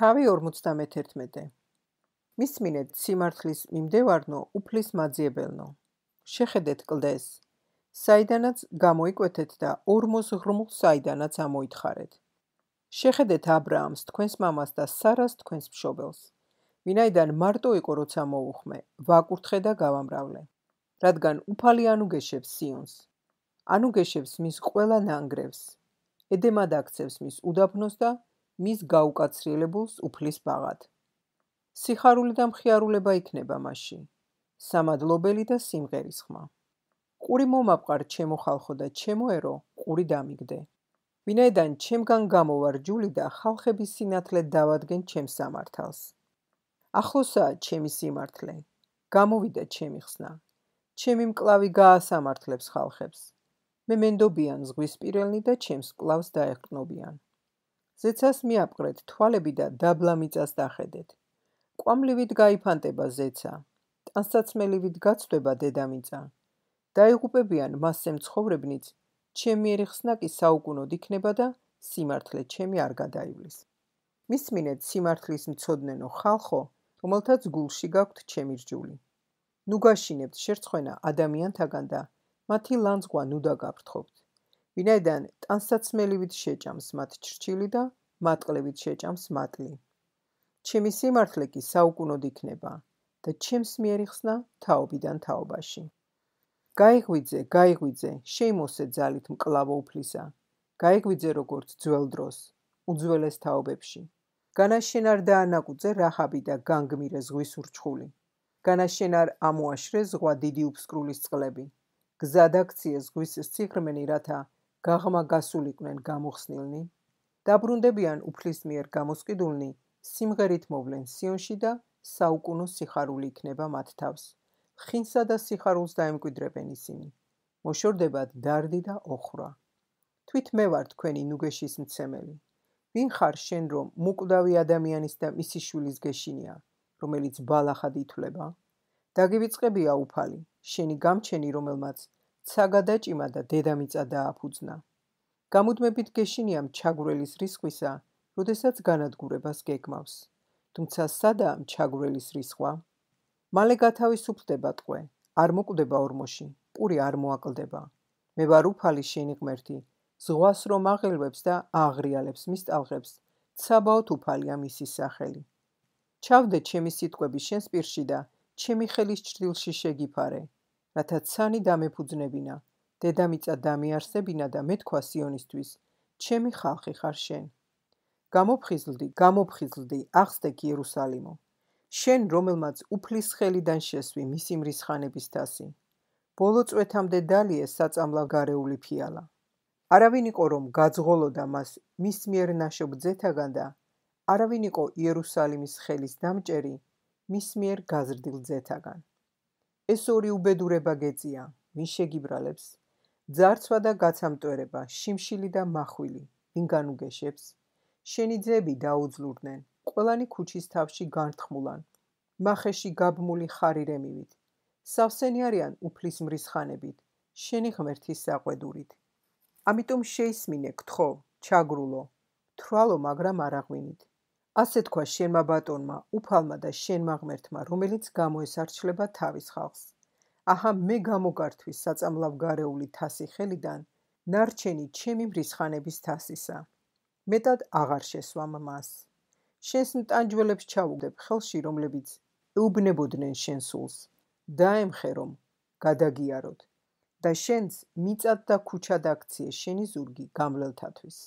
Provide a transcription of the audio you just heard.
თავი 51. მისმინეთ სიმართლის მიმდევარნო უფლის მაძიებელნო. შეხედეთ კლდეს, საიდანაც გამოიკვეთეთ და ორმოს ღრმულ საიდანაც ამოითხარეთ. შეხედეთ აბრაამს თქვენს მამას და სარას თქვენს მშობელს. ვინაიდან მარტო იყო როცა მოუხმე, ვაკურთხე და გავამრავლე. რადგან უფალი ანუგეშებს სიონს. ანუგეშებს მის ყველა ნანგრევს. ედემად აქცევს მის უდაბნოს და მის გაუკაცრიელებულს უფლის ბაღად. სიხარული და მხიარულება იქნება მასში. სამადლობელი და სიმღერის ხმა. ყური მომაპყარ ჩემო ხალხო და ჩემო ერო, ყური დამიგდე. ვინაიდან ჩემგან გამოვარ ჯული და ხალხების სინათლე დავადგენ ჩემს სამართალს. ახლოსაა ჩემი სიმართლე, გამოვიდა ჩემი ხსნა. ჩემი მკლავი გაასამართლებს ხალხებს. მე მენდობიან ზღვისპირელნი და ჩემს მკლავს დაეყრდნობიან. ზეცას მიაპყრეთ თვალები და დაბლა მიწას დახედეთ. ყვამლივით გაიფანტება ზეცა, ტანსაცმელივით გაცვდება დედამიწა. დაიღუპებიან მასზე მცხოვრებნიც, ჩემი ხსნა კი საუკუნოდ იქნება და სიმართლე ჩემი არ გადაივლის. მისმინეთ სიმართლის მცოდნენო ხალხო, რომელთაც გულში გაქვთ ჩემი რჯული. ნუ გაშინებთ შერცხვენა ადამიანთაგან და მათი ლანძღვა ნუ დაგაფრთხობთ. ვინაიდან ტანსაცმელივით შეჭამს მათ ჩრჩილი და მატყლებით შეჭამს მატლი. ჩემი სიმართლე კი საუკუნოდ იქნება და ჩემს მიერი ხსნა თაობიდან თაობაში. გაიღვიძე, შეიმოსე ძალით მკლავო უფლისა. გაიღვიძე როგორც ძველ დროს, უძველეს თაობებში. განაშენ არ დაანაკუძე რაჰაბი და განგმირე ზღვის ურჩხული. განაშენ არ ამოაშრე ზღვა დიდი უფსკრულის წყლები. გზად აქციე ზღვის სიღრმენი, რათა გაღმა გასულიყვნენ გამოხსნილნი. დაბრუნდებიან უფლის მიერ გამოსყიდულნი, სიმღერით მოვლენ სიონში და საუკუნო სიხარული იქნება მათ თავს. ხინსა და სიხარულს დაემკვიდრებენ ისინი. მოშორდებათ დარდი და ოხრა. თვით მე ვარ თქვენი ნუგეშის მცემელი. ვინ ხარ შენ რომ მუკვდავი ადამიანის და მისი შვილის გეშინია, რომელიც ბალახად ითვლება? დაგივიწყებია უფალი, შენი გამჩენი რომელმაც ცა გადაჭიმა და დედამიწა დააფუძნა. გამუდმებით გეშინიამ ჩაგვრელის რისხვისა, როდესაც განადგურებას გეგმავს. თუმცა სადაა ჩაგვრელის რისხვა? მალე გათავისუფლდება ტყვე, არ მოკვდება ორმოში, პური არ მოაკლდება. მე ვარ უფალი შენი ღმერთი, ზღვას რომ აღელვებს და ააღრიალებს მის ტალღებს, ცაბაოთ უფალია მისი სახელი. ჩავდე ჩემი სიტყვები შენს პირში და ჩემი ხელის ჭრილში შეგიფარე, რათა ცანი დამეფუძნებინა, დედამიწა დამიარსებინა და მეთქვა სიონისთვის, ჩემი ხალხი ხარ შენ. გამოფხიზლდი, აღსდეკ იერუსალიმო. შენ, რომელმაც უფლის ხელიდან შესვი მისი მრისხანების თასი. ბოლო წვეთამდე დალიე საწამლავ გარეული ფიალა. არავინ იყო რომ გაძღოლოდა მას მის მიერ ნაშობ ძეთაგან და არავინ იყო იერუსალიმის ხელის დამჭერი მის მიერ გაზრდილ ძეთაგან. ეს ორი უბედურება გეწია, ვინ შეგიბრალებს? ძარცვა და გაცამტვერება, შიმშილი და მახვილი, ვინ განუგეშებს? შენი ძეები დაუძლურდნენ, ყველანი ქუჩის თავში განრთმულან, მახეში გაბმული ხარირემივით. სავსენი არიან უფლის მრისხანებით, შენი ღმერთის საყვედურით. ამიტომ შეისმინე, გთხოვ, ჩაგრულო, თვალო, მაგრამ არ აღვინით. ასე თქვა შენმა ბატონმა, უფალმა და შენმა ღმერთმა, რომელიც გამოესარჩლება თავის ხალხს. აჰა, მე გამოგართვი საწამლავ გარეული თასი ხელიდან, ნარჩენი ჩემი მრისხანების თასისა. მეტად აღარ შესვამ მას. შენს მტანჯველებს ჩაუგდებ ხელში, რომლებიც ეუბნებოდნენ შენ სულს. დაემხე რომ გადაგიაროთ და შენს მიწად და ქუჩად აქციე შენი ზურგი გამლელთათვის.